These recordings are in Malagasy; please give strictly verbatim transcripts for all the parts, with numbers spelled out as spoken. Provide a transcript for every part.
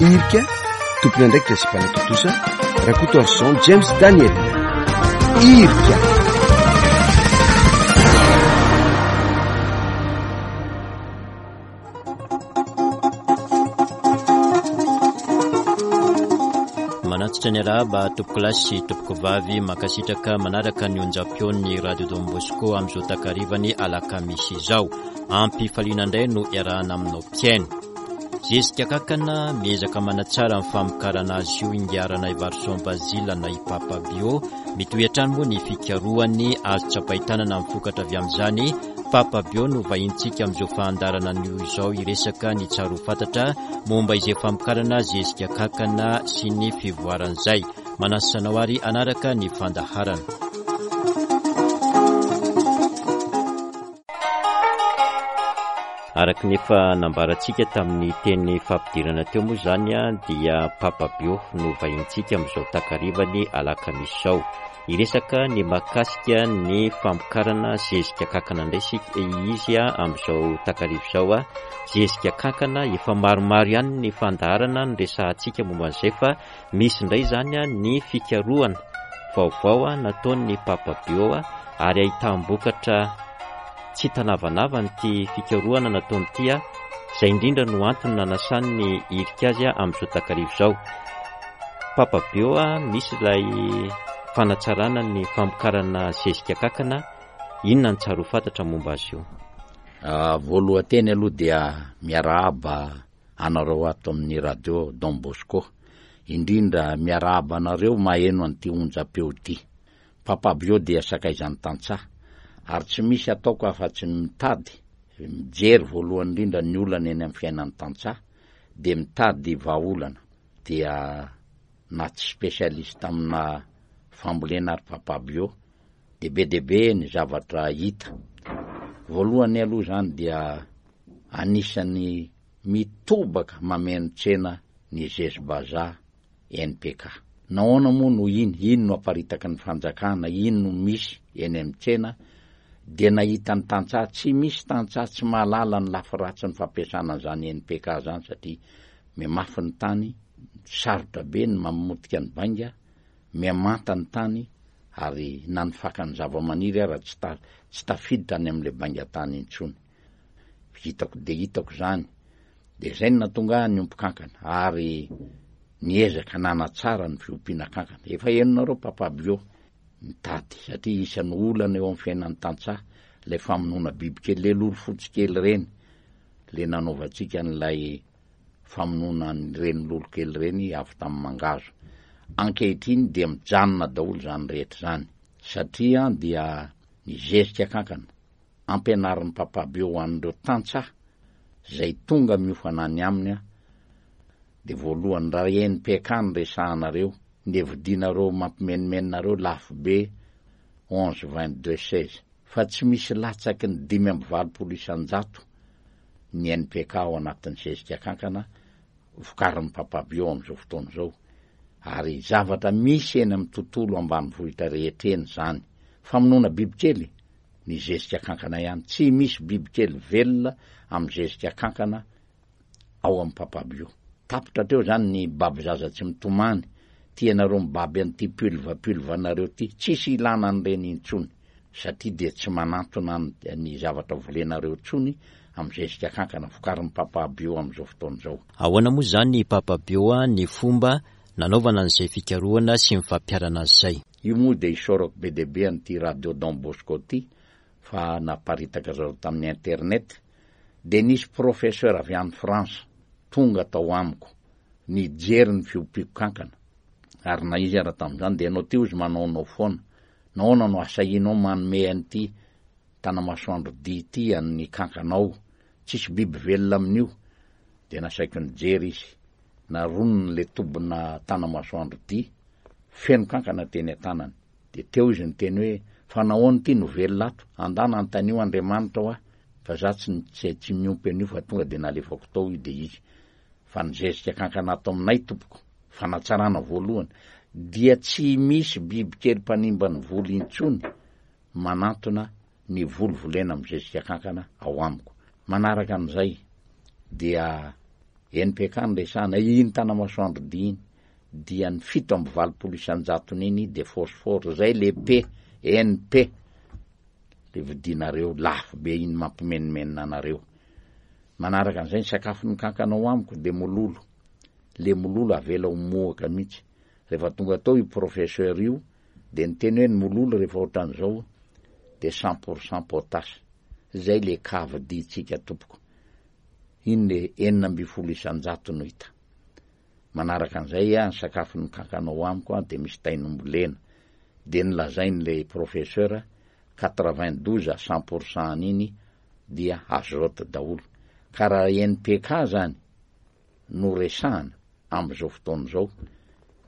Irika, tompon'andraikitra sy mpanatontosa, Rakotoarison James Daniel. Irika. Manantitra ny arahaba tompokolahy sy tompokovavy, mankasitraka manaraka ny onjam-peon'ny Radio Don Bosco amin'izao takarivany alakamisy izao. Ampifaliana indray no iarahana aminao mpihaino. Zezika kankana miezaka manatsara ny famokarana azy io ingahy Ranaivarisoa Basile na i Papa Bio. Mitohy hatrany moa ny fikarohany azo tsapain-tanana ny vokatra avy amin'izany. Papa Bio no vahintsika amin'izao fandaharana anio izao hiresaka ny tsara ho fantatra momba izay famokarana zezika kankana sy ny fivoaran'izay. Manasa anao ary hanaraka ny fandaharana. Araka ny efa nambarantsika tamin'ny teny fampidirana teo moa izany dia Papa Bio no vahintsika amin'izao takarivany alakamisy izao. Hiresaka ny mahakasika ny famokarana zezika kankana indray isika izy amin'izao takariva izao. Zezika kankana efa maromaro ihany ny fandaharana noresahantsika momba an'izay fa misy indray izany ny fikarohana vaovao nataon'ny Papa Bio ary ahitam-bokatra tsy tanavanavana ity fikarohana nataony ity, izay indrindra no antony nanasany ny hirika azy amin'izao takariva izao. Papa Bio, misy ilay fanatsarana ny famokarana zezika kankana, inona ny tsara ho fantatra momba azy io? Ah, voalohan-teny aloha dia miarahaba anareo ato amin'ny Radio Don Bosco, indrindra miarahaba anareo maheno an'ity onjam-peo ity. Papa Bio dia sakaizan'ny tantsaha ary tsy misy ataoko afa-tsy ny mitady mijery voalohany indrindra ny olana eny amin'ny fiainan'ny tantsaha dia mitady vahaolana. Dia na tsy spécialiste amina fambolena ary Papa Bio dia be dia be ny zavatra hita. Voalohany aloha izany dia anisan'ny mitobaka mameno tsena ny zezi-bazaha N P K. Nahoana moa no iny? Iny no aparitaky ny fanjakana, iny no misy eny amin'ny tsena, dia nahita ny tantsaha, tsy misy tantsaha tsy mahalala ny lafy ratsy ny fampiasana an'izany N P K zany, satria mihamafy ny tany, sarotra be ny mamotika ny bainga, mihamanta ny tany, ary na ny fakan'ny zava-maniry ara tsy ta-, tsy tafiditra any amin'ilay bainga tany intsony. Hitako dia hitako izany, dia izay no nahatonga ahy niompy kankana, ary niezaka nanatsara ny fiompiana kankana. Efa henonareo Papa Bio mitady, satria isan'ny olana eo amin'ny fiainan'ny tantsaha ilay famonoana bibikely, ilay lolo fotsy kely ireny, ilay nanaovantsika an'ilay famonoana an'ireny lolo kely ireny avy tamin'ny mangahazo. Ankehitriny dia mijanona daholo izany rehetra izany, satria dia ny zezika kankana ampianarin'ny Papa Bio ho an'ireo tantsaha izay tonga miofana any aminy, dia voalohany raha N P K no resahanareo, ny vidinareo mampimenomenonareo lafo be onze vingt deux seize, fa tsy misy latsaky ny dimy amby valopolo isan-jato ny N P K ao anatin'ny zezika kankana vokarin'ny Papa Bio amin'izao fotoana izao. Ary zavatra misy eny amin'ny tontolo ambanivohitra rehetra eny izany. Famonoana bibikely ny zezika kankana ihany, tsy misy bibikely velona amin'ny zezika kankana ao amin'ny Papa Bio. Tapitra teo izany ny baby zaza tsy mitomany, tianareo mibaby an'ity pulva pulva anareo ity, tsisy ilana an'ireny intsony, satria dia tsy manantona ny, ny zavatra volenareo intsony amin'ny zezika kankana vokarin'ny Papa Bio amin'izao fotoana izao. Ahoana moa izany ny Papa Bio ny fomba nanaovana an'izay fikarohana sy ny fampiharana an'izay? Io moa dia isaorako be dia be an'ity Radio Don Bosco ity fa naparitaka zareo tamin'ny internet, dia nisy professeur avy any France tonga tao amiko nijery ny fiompiako kankana, ary na izy ara tamin'izany dia ianao ty ozy manaonao foana, nahoana no asahinao manome an'ity tanamasoandro dia ity an'ny kankanao, tsisy biby velona amin'io. Dia nasaiko nijery izy, naronony le tobina tanamasoandro dia feno kankana teny an-tanany. Dia teo izy niteny hoe fa nahoana ity no velona ato, andana antanio Andriamanitra ho ahy, fa za tsy, tsy, tsy miompy an'io fa tonga dia nalefako tao io. Dia izy fa nizezika kankana ato aminay tompoko, fanatsarana voalohany dia tsy misy bibikely mpanimba ny voly intsony manantona ny voly volena amin'ny zezika kankana ao amiko. Manaraka an'izay dia N P K no resahana, iny Tanamasoandro dia iny dia ny fito amby valopolo isan-jatony iny de phosphore, zay le P N P le vidinareo lafo be iny mampimenimenina anareo. Manaraka an'izay, ny sakafo ny kankana amiko de mololo, le mololo avela ho mohaka mihitsy. Rehefa tonga atao io professeur io de nyteny hoe ny mololo rehefa ohatran'izao de cent pour cent potasse, zay le kavyditsika tompoko iny, le enina amby folo isan-jato no hita. Manaraka an'izay a, ny sakafo ny kankanao amiko a de misy tainombolena, de nylazainy le professeur quatre-vingt douze à cent pour cent an'iny dia azote daholo. Ka raha N P K zany no resahana am'izao fotoana zao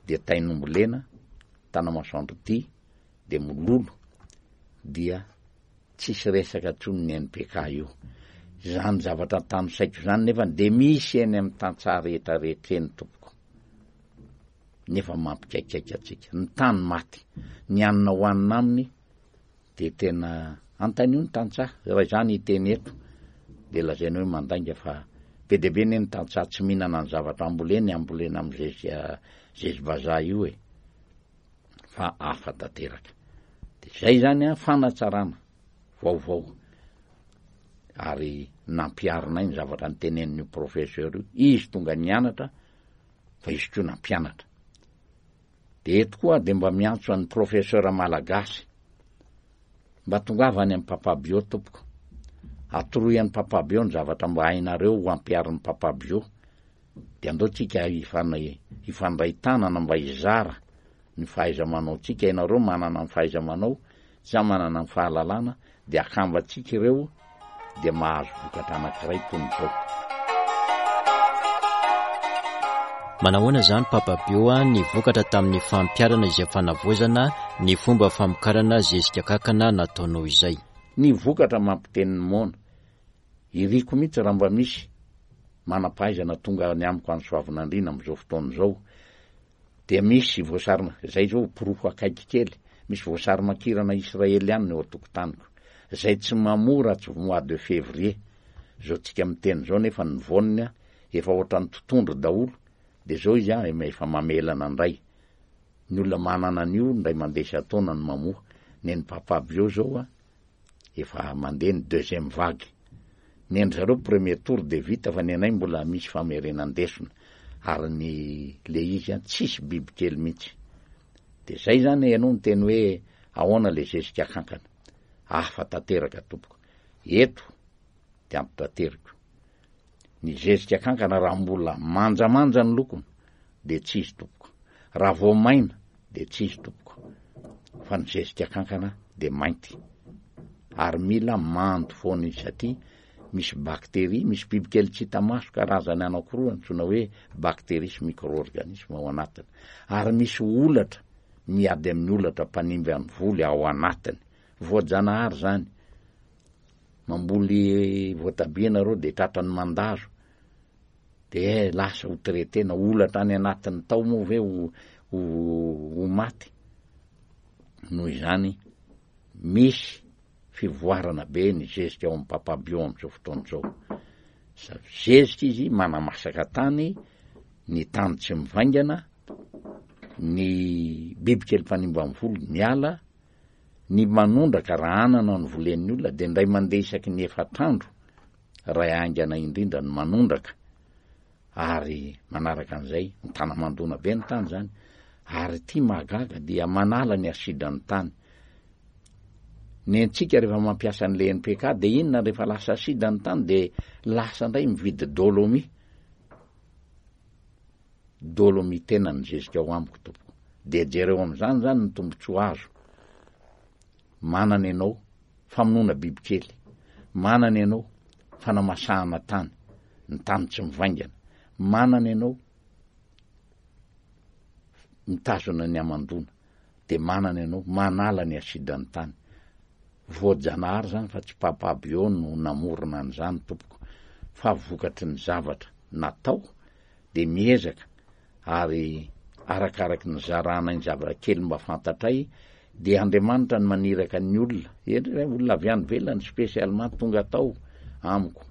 de tainombolena, Tanamasoandro ty, de mololo, dia tsisy resaka ntsony ny N P K io zany. Zavatra tano saiko zany nefa de misy eny amy tantsaha rehetrarehetra eny tompoko, nefa mampikaikaika atsika ny tany maty, ny anina hoanina aminy de tena antanio ny tantsaha. Raha zany hiteny eto de lazaina hoe mandainga, fa be de be ny ny tantsaha tsy mihinana ny zavatra amboleny, ambolena amy zezika zezy vazaha io e, fa afa tanteraka. De zay zany a, fanatsarana vaovao ary nampiarinay ny zavatra nytenenin'io professeur io. Izy tonga nianatra fa izy ko nampianatra. De eto koa de mba miantso an'ny professeur malagasy mba tongava any amy Papa Bio tompoko, atoroy any Papa Bio ny zavatra mba hainareo ho ampiarin'ny Papa Bio, de andao tsika ifana ifandray tanana mba hizara ny fahaiza manao tsika. Ianareo manana ny fahaiza manao, za manana ny fahalalàna, de akambatsika ireo de mahazo vokatra anankiray tony zao. Manahoana zany, Papa Bio, a ny vokatra tamin'ny fampiharana izay fanavaozana ny fomba famokarana zezika kakana nataonao izay? Ny vokatra mampiteniny moana iriko mihitsy. Raha mba misy manam-pahaizana tonga ny amiko any Soavinandriana am'izao fotoana zao, de misy voasary zay zao porofo akaiky kely, misy voasary makirana israely any eo atokotaniko zay tsy mamora tsy mois de février zao tsika miteny zao, nefa ny voniny a efa ohatran'ny totondro daholo, de zao izy a efa mamelana ndray. Ny olona manana an'io ndray mandeha sy ataona ny mamoa neny Papa Bio zao a efa mandeha ny deuxième vague. Ny andry zareo premier tour de vita, fa ny anay mbola misy famerenandesona, ary ny le izy a tsisy biby kely mihitsy. De zay zany ianao ny teny hoe ahoana le zezika kankana, afa tanteraka tompoko eto de ampitateriko ny zezika kankana. Raha mbola manjamanja ny lokony de tsy izy tompoko, raha vo maina de tsy izy tompoko, fa ny zezika kankana de mainty ary mila mando foana izy, satria misy bakteria, misy bibikely tsy hita maso karazany anankiroa antsoina hoe bakteria sy micro-organisme ao anatiny, ary misy olatra miady amin'ny olatra mpanimby any voly ao anatiny. Voajanahary zany. Mamboly voatabia nareo de tratrany mandazo, de eh, lasa ho traitena olatra any anatiny tao moa ve ho ho maty? Noho izany misy fivoarana be ny zezika ao amy Papa Bio am'izao fotoana zao. Sa zezika izy manamasaka tany, ny tany tsy mivaingana, ny bibikely mpanimba ny voly miala, ny manondraka raha anana ny volen'ny olona de ndray mandeha isaky ny efatr'andro raha aingana indrindra ny manondraka. Ary manaraka an'izay, ny tana mandona be ny tany zany, ary ty mahagaga dia manala ny asidra ny tany. Ny antsika rehefa mampiasa an'le N P K de inona? Rehefa lasa asida ny tany de lasa indray mividy dolomie. Dolomie tena ny zezika ao amiko tompoko. De jereo am'izany zany ny tombotsoa azo manana ianao: famonoana bibikely manana ianao, fanamasahana tany, ny tany tsy mivaingana manana ianao, mitazona ny amandona de manana ianao, manala ny asidany tany. Voajanahary zany fa tsy Papa Bio no namorona an'izany tompoko, fa vokatry ny zavatra natao de miezaka ary arakaraky ny zarana ny zavatra kely mba fantatray. De Andriamanitra ny maniraka ny olona endry, olona avy any velany spécialement tonga atao amiko.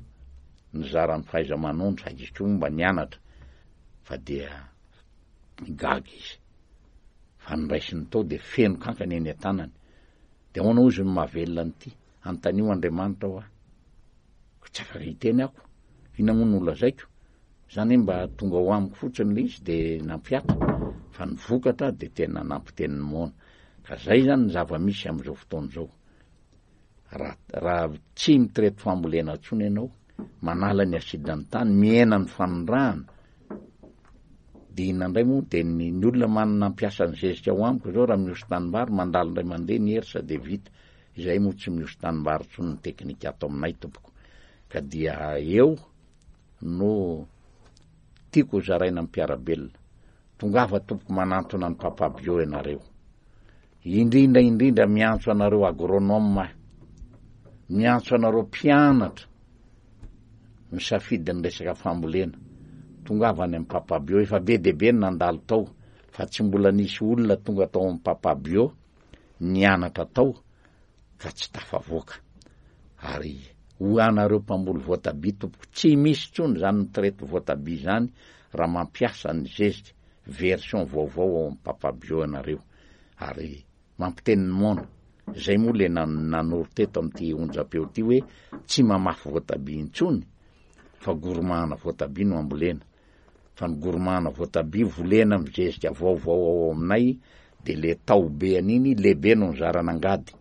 Nizara ny fahaiza-manondro sady izy koa mba nianatra fa dia gaga izy. Fa noraisiny tao dia feno kankana eny an-tanany. Dia ahoana hozy no mahavelona an'ity? Anontanio Andriamanitra hoa. Ko tsy afaka hiteny ako. Inona moa no holazaiko? Zany hoe mba tonga ho amiko fotsiny le izy dia nampihatra. Fa ny vokatra dia tena nampiteny ny moana. Ka zay zany ny zava-misy amin'izao fotoana izao. Raha, raha tsy mitraite fambolena intsony ianao, manala ny acide ny tany, mihena ny fanondrahana, dia inona indray moa? Dia ny, ny olona manana nampiasa ny zezika ao amiko izao, raha mihoso tanimbary, mandalo indray mandeha ny hersa dia vita. Izay moa tsy mihoso tanimbary intsony ny teknika ato aminay tompoko. Ka dia eo no tiako hozaraina amin'ny mpiara-belona. Tongava tompoko manantona ny Papa Bio ianareo. Indrindra indrindra miantso anareo agronome aho. Miantso anareo mpianatra misafidy ny resaka fambolena. Tongava any amin'ny Papa Bio. Efa be dia be ny nandalo tao fa tsy mbola nisy olona tonga tao amin'ny Papa Bio nianatra tao ka tsy tafavoaka. Ary ho anareo mpamboly voatabia tompoko, tsy misy intsony izany mitraite voatabia izany raha mampiasa ny zezika version vaovao ao amin'ny Papa Bio ianareo. Ary mampiteny ny moana. Izay moa le nan-, nanoro teto amin'ity onjam-peo ity hoe tsy mamafy voatabia intsony fa goromahana voatabia no ambolena. Fa ny goromahana voatabia volena amin'ny zezika vaovao ao aminay dia le tao be an'iny lehibe no nizaran'angady.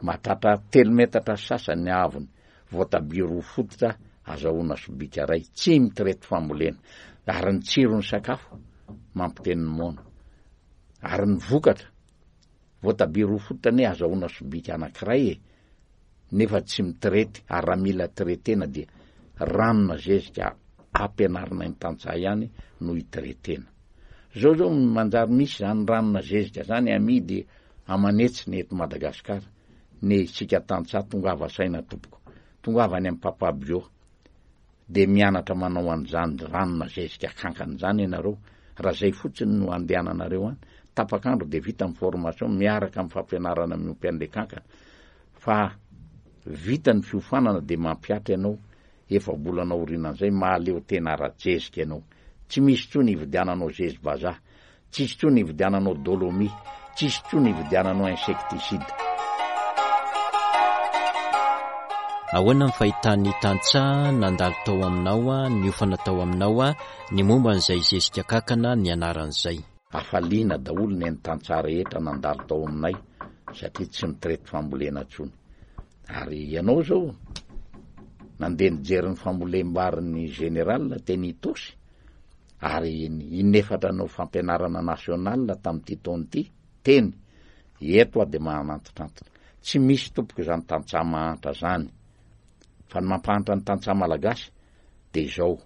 Mahatratra telo metatra sy sasany ny haavony. Voatabia roa fototra azahoana sobika iray. Tsy mitraite fambolena. Ary ny tsiron'ny sakafo mampiteny ny moana. Ary ny vokatra, voatabia roa fototra anie azahoana sobika anankiray e, nefa tsy mitraite. Ary raha mila traitena dia ranona zezika ampianarina ny tantsaha ihany no hitraitena. Zao zao manjary misy zany ranona zezika zany amidy amanetsiny eto Madagasikara. Ne isika tantsaha tongava saina tompoko. Tongava any amin'ny Papa Bio. Dia mianatra manao an'izany ranona zezika kankana izany ianareo. Raha zay fotsiny no andehananareo any, tapak'andro dia vita ny formation miaraka amin'ny fampianarana miompy an'ilay kankana. Fa vita ny fiofanana dia mampihatra ianao, efa-bolana aorianan'izay mahaleo tena ara-jezika ianao. Tsy misy intsony hividiananao zezi-bazaha, tsisy intsony hividiananao dolomie, tsisy intsony hividiananao insecticide. Ahoana ny fahitan'ny tantsaha nandalo tao aminao, niofana tao aminao, ny momba an'izay zezika kankana ny anaran'izay? Hafaliana daholo ny an'ny tantsaha rehetra nandalo tao aminay satria tsy mitraite fambolena intsony. Ary ianao izao nandeha nijery ny fambolem-barin'ny général teny Itaosy ary inefatra nanao fampianarana national tamin'ity taona ity teny eto aho dia mahanantitrantitra. Tsy misy tompoko izany tantsaha mahantra izany. Fa ny mampahantra ny tantsaha malagasy dia izao,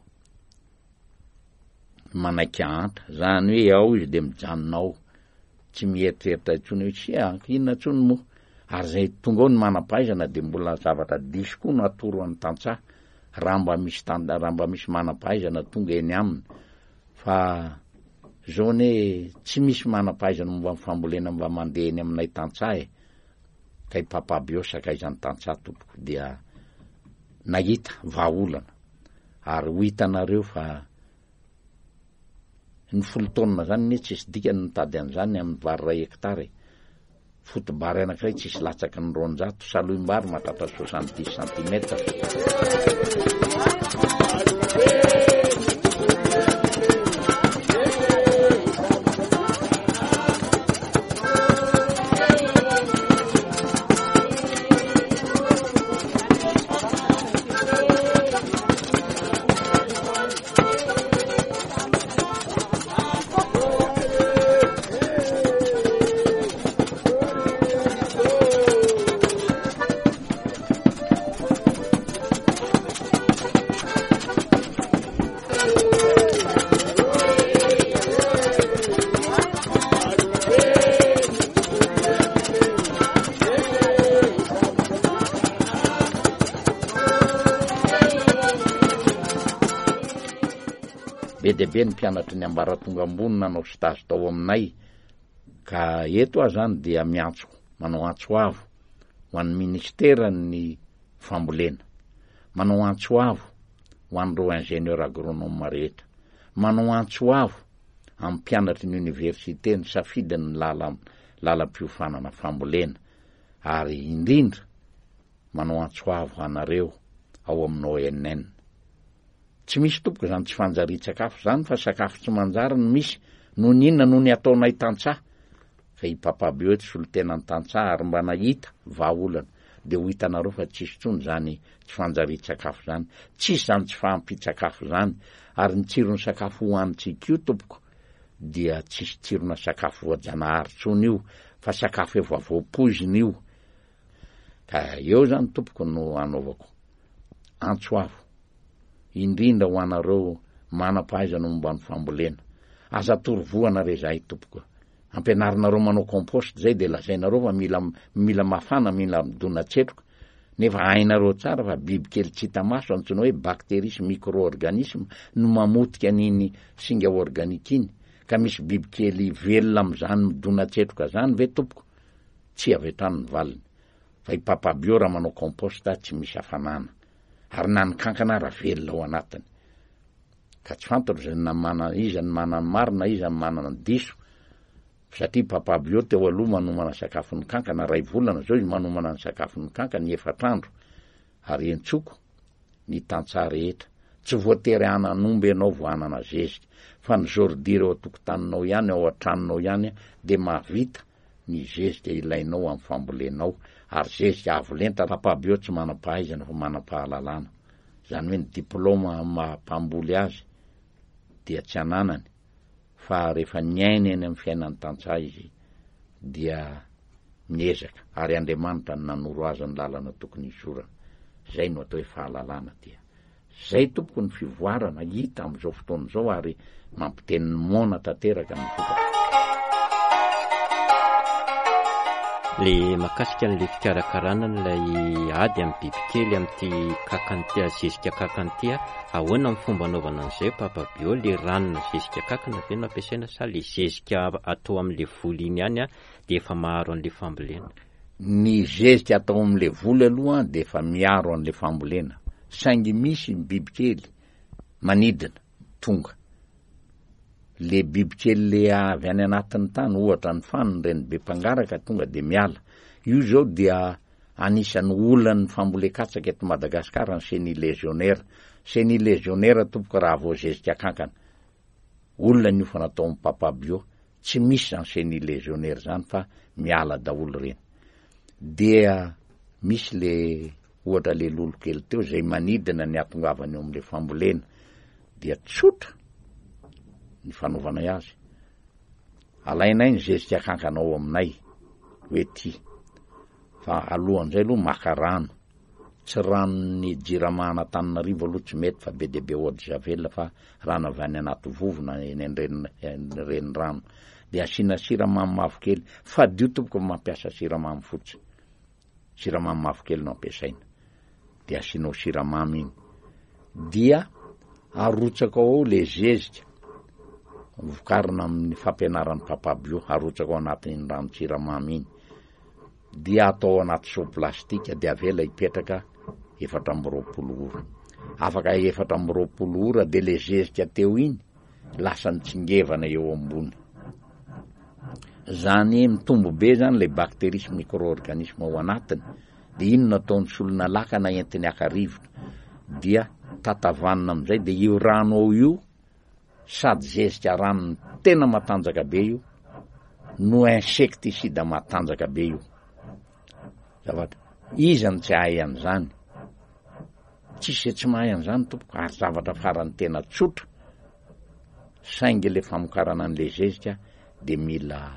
manaiky ahantra, izany hoe ao izy dia mijanona ao, tsy mieritreritra intsony hoe tsia, inona intsony moa. Ary izay tonga ao ny manam-pahaizana dia mbola zavatra diso koa no atoro an'ny tantsaha raha mba misy tan-, raha mba misy manam-pahaizana tonga eny aminy. Fa izao anie tsy misy manam-pahaizana momba ny fambolena mba mandeha eny aminay tantsaha e. Kay Papa Bio sakaizan'ny tantsaha tompoko dia nahita vahaolana. Ary ho hitanareo fa ny folo taonina zany anie tsisy dikany mitady an'izany amin'ny vary iray hektara e. Fotobary anankiray tsisy latsaky ny roanjato, salohim-bary mahatratra soixante-dix centimètres. Be dia be ny mpianatry ny ambaratonga ambony nanao stage tao aminay, ka eto aho zany dia miantso, manao antso avo ho an'ny ministeran'ny fambolena, manao antso avo ho an'ireo ingénieur agronome rehetra, manao antso avo amin'ny mpianatry ny université nisafidy ny lala lalam-piofanana fambolena, ary indrindra manao antso avo anareo ao amin'ny O N N. Tsy misy, tompoko, zany tsy fanjari-tsakafo zany, fa sakafo tsy manjary no misy. Noho ny inona? Noho ny ataonay tantsaha. Fa i Papa Bio eto solo tena ny tantsaha ary mba nahita vahaolana, de ho hitanareo fa tsisy tsony zany tsy fanjari-tsakafo zany, tsisy zany tsy fahampi-tsakafo zany. Ary ny tsirony sakafo hoanitsika io, tompoko, dia tsisy tsirona sakafo voajanahary tsony io, fa sakafo efa voapoizina io. Ka eo zany, tompoko, no anaovako antso avo indrindra ho anareo manam-pahaizana momba ny fambolena. Aza torovohana re zahay, tompoko. Ampianarinareo manao compost zay, de lazainareo fa mila mila mafana, mila midona-tsetroka, nefa hainareo tsara fa biby kely tsy hita maso antsoina hoe bactérie sy micro-organisme no mamotika an'iny singa organika iny. Ka misy biby kely velona am'izany midona-tsetroka zany ve, tompoko? Tsy avy hatrany ny valiny. Fa i Papa Bio raha manao compost tsy misy hafanana, ary na ny kankana raha velona ao anatiny. Ka tsy fantatro zay na mana iza ny manany marina, iza ny manana diso, satria Papa Bio teo aloha manomana sakafon'ny kankana ray volana, zao izy manomana ny sakafon'ny kankana efatra andro. Ary entsoko ny tantsaha rehetra, tsy voatery hanan'omby ianao vo hanana zezika, fa ny ordure eo an-tokotaninao ihany, ao an-tranonao ihany, de mahavita ny zezika ilainao amin'ny fambolenao, ary zezika avo lenta. Papa Bio tsy manam-pahaizana fa manam-pahalalàna, zany hoe ny diplôma mampamboly azy dia tsy ananany, fa rehefa niaina eny amin'ny fiainan'ny tantsaha izy dia miezaka, ary Andriamanitra ny nanoro azy ny lalana tokony hisorana. Zay no atao hoe fahalalàna. Dia zay, tompoko, ny fivoarana hita am'izao fotoana izao, ary mampiteniny moana tanteraka ny vokatra. Le mahakasika an'le fikarakarana n'lay ady amin'ny bibikely amin'ity kankana, zezika kankana ity a, ahoana ny fomba anaovana an'izay, Papa Bio? Le ranona zezika kankana ve no ampiasaina, sa le zezika atao amin'le voly iny ihany a de efa maharo an'le fambolena? Ny zezika atao amin'le voly aloha de efa miaro an'le fambolena, saingy misy ny bibikely manidina tonga, le bibikely le avy any anatin'ny tany, ohatra ny fanony reny be mpangaraka tonga de miala io. Zao dia anisan'ny olan'ny fambolen-katsaka eto Madagasikara ny chenille légionnaire. Chenille légionnaire, tompoko, raha vao zezika kankana, olona ny ofa natao amy Papa Bio, tsy misy zany chenille légionnaire zany, fa miala daholo reny. Dia misy le ohatra le lolo kely teo zay manidina ny atongavany eo am'le fambolena, dia tsotra ny fanaovanay azy: alainay ny zezika kankana ao aminay hoe ty, fa alohan'izay aloha maka rano, tsy ranony Jirama Antananarivo aloha, tsy mety fa be de be eau de javel, fa rano avy any anaty vovona eny an-dreny reny rano, de asiana siramamy mavokely. Fadio, tompoko, mampiasa siramamy fotsy, siramamy mavokely no ampiasaina. De asianao siramamy iny, dia arotsaka ao le zezika vokarina amin'ny fampianaran'ny Papa Bio, arotsaka ao anatin'iny rano-tsiramamy iny, dia atao anaty seau plastika, de avela hipetraka efatra amby roapolo ora. Afaka efatra amby roapolo ora, de le zezika teo iny lasa nitsingevana eo ambony zany, mitombo be zany le bactérie sy micro-organisme ao anatiny. De ino nataony solona lakana entiny aka rivotra, dia tatavanina amizay, de io rano ao io sady zezika ranony tena matanjaka be io no insecticide matanjaka be io. Zavatra izany tsy hahay an'izany, tsisy zay tsy mahay an'izany, tompoko, ary zavatra farany tena tsotra, saingy le famokarana an'le zezika de mila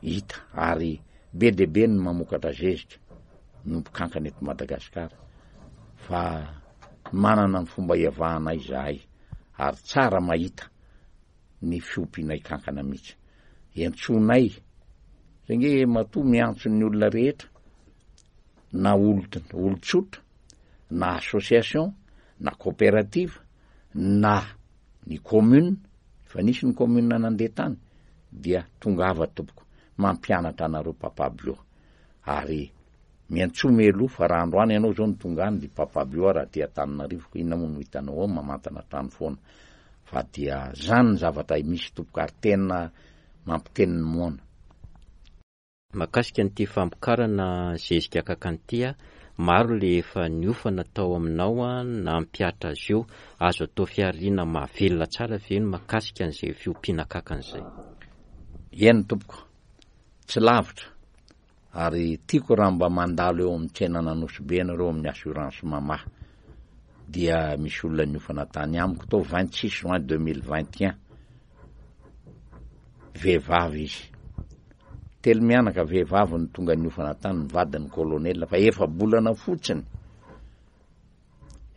hita. Ary be de be ny mamokatra zezika miompy kankana eto Madagasikara, fa manana ny fomba iavahanay zahay, ary tsara mahita ny fiompianay kankana mihitsy. Entsonay zay nge matoa miantso ny olona rehetra, na olo olo-tsotra, na association, na coopérative, na ny commune, fa nisy ny commune nandeha tany, dia tongava, tompoko, mampianatra anareo Papa Bio. Ary Miantsoa mialoha fa raha androany ianao izao no tonga any dia Papa Bio raha aty Antananarivo ko inona moa no hitanao ao mamantana trano foana fa dia zany ny zavatra misy tompoko ary tena mampiteny ny moana. Mahakasika an'ity famokarana zezika kankana ity, maro le efa niofana tao aminao nampihatra azy io. Azo atao fihariana mahavelona tsara ve ny mahakasika an'izay fiompiana kankana izay? Eny tompoko, tsy lavitra ary tiako raha mba mandalo eo amin'ny tsenan'Anosibe ianareo amin'ny assurance Mama dia misy olona niofana tany amiko tao vingt six juin deux mille vingt et un. Vehivavy izy. Telo mianaka vehivavy no tonga niofana tany, ny vadin'ny colonel fa efa-bolana fotsiny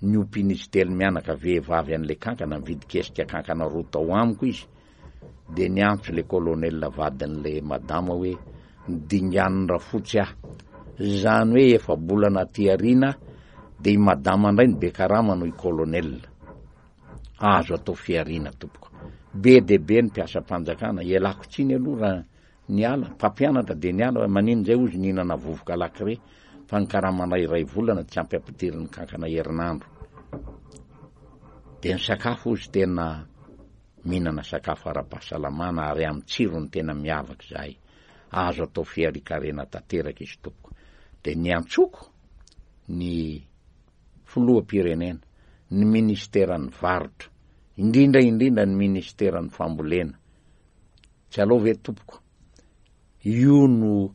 niompian'izy telo mianaka vehivavy an'ilay kankana, nividy kesika kankana roa tao amiko izy, dia niantso ilay colonel vadin'ilay madama hoe nidingan'ny rafotsy aho. Izany hoe efa-bolana aty aoriana dia i madama indray no be karama noho i colonel. Azo atao fihariana tompoko. Be dia be ny mpiasam-panjakana, ialako tsiny aloha raha niala, mpampianatra dia niala, maninona izay ozy nihinana vovoka lakre fa ny karamanay iray volana tsy ampy ampidirin'ny kankana herinandro. Dia ny sakafo ozy tena mihinana sakafo ara-pahasalamana ary amin'ny tsirony tena miavaka izahay. Azo atao fiharian-karena tanteraka izy tompoko. Dia niantsoko ny filoham-pirenena, ny ministeran'ny varotra, indrindra indrindra ny ministeran'ny fambolena. Tsy aleo ve tompoko, io no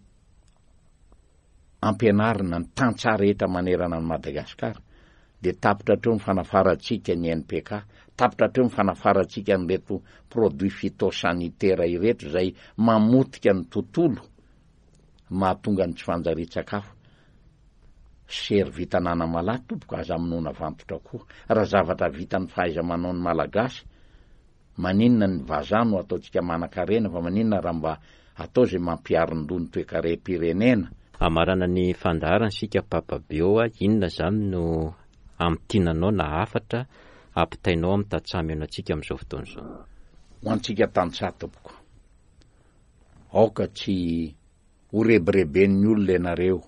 ampianarina ny tantsaha rehetra manerana an'i Madagasikara, dia tapitra hatreo ny fanafarantsika ny N P K, tapitra hatreo ny fanafarantsika an'ireto produit phytosanitaire ireto izay mamotika ny tontolo, mahatonga ny tsy fanjarian-tsakafo. Sery vita an'Anamalahy tompoko, aza amonoana vantotra koa. Raha zavatra vitan'ny fahaiza-manao ny Malagasy, maninona ny vazaha no ataontsika manan-karena, fa maninona raha mba atao izay mampiarin-doha ny toekarem-pirenena? Hamarana ny fandaharana isika Papa Bio, inona izany no amintinanao na hafatra ampitainao amin'ny tantsaha mihaino antsika amin'izao fotoana izao? Ho antsika tantsaha tompoko, aoka tsy ho rebireben'ny olona ianareo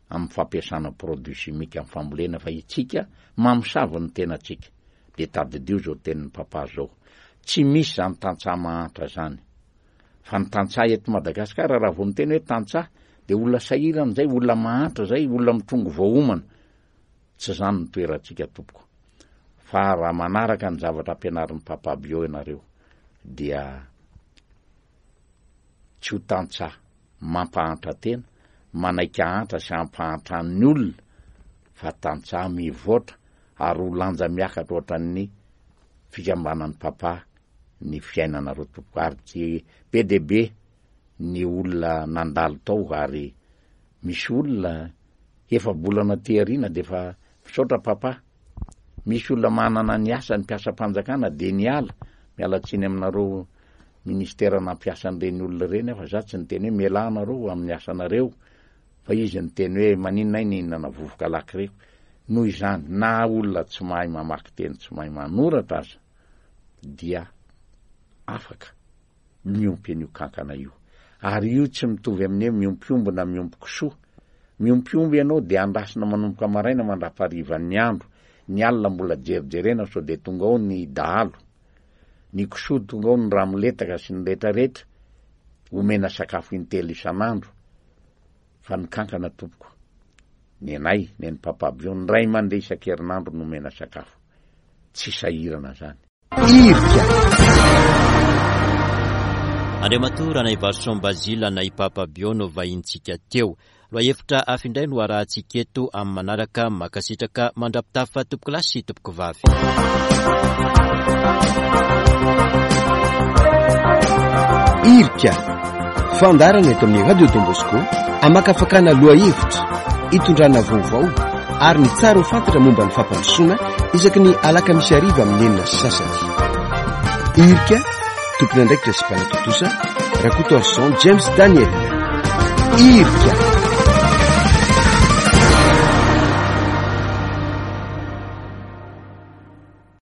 amin'ny fampiasana produit chimique amin'ny fambolena, fa itsika mamosavy ny tenantsika. Dia tadidio izao tenin'ny papa izao, tsy misy izany tantsaha mahantra izany, fa ny tantsaha eto Madagasikara raha vao miteny hoe tantsaha dia olona sahirana izay, olona mahantra izay, olona mitrongo voaomana. Tsy izany ny toerantsika tompoko, fa raha manaraka ny zavatra ampianarin'ny papa Bio ianareo dia tsy ho tantsaha mampahantra tena, manaiky ahantra sy hampahantran'ny olona, fa tantsaha mivoatra ary ho lanja miakatra ohatran'ny fikambanan'ny papa ny fiainanareo tompoko. Ary tsy be dia be ny olona nandalo tao, ary misy olona efa-bolana aty aoriana dia efa misaotra papa. Misy olona manana ny asany mpiasam-panjakana dia niala, miala tsiny aminareo ministera nampiasa an'ireny olona ireny aho, fa za tsy niteny hoe mialà anareo amin'ny asanareo, fa izy niteny hoe maninona ahy nihinana vovoka lakireko. Noho izany, na olona tsy mahay mamaky teny, tsy mahay manoratra aza, dia afaka miompy an'io kankana io. Ary io tsy mitovy amin'ny hoe miompy omby na miompy kisoa. Miompy omby ianao dia andrasina manomboka maraina mandrapaharivan'ny andro, ny alina mbola jerijerena sao dia tonga ao ny dahalo. Ny kisoa tonga ao ny ramoletaka sy ny rehetrarehetra, omena sakafo intelo isan'andro. Fa ny kankana tompoko, ny anay, ny an'ny papa Bio, ny ray aman-dreny isan-kerinandro no omena sakafo. Tsy sahirana zany. Irika. Andriamatoa Ranaivarison Basile na i Papa Bio no vahintsika teo. Lohahevitra hafa indray no arahantsika eto amin'ny manaraka. Mankasitraka mandra-pitafa tompoko lahy sy tompoko vavy. Irika. Fandaharana eto amin'ny Radio Don Bosco, amakafakana lohahevitra, itondrana vaovao ary ny tsara ho fantatra momba ny fampandrosoana isaky ny alakamisy hariva amin'ny enina sy sasany. Irika, tompon'andraikitra sy mpanatontosa, Rakotoarison James Daniel. Irika.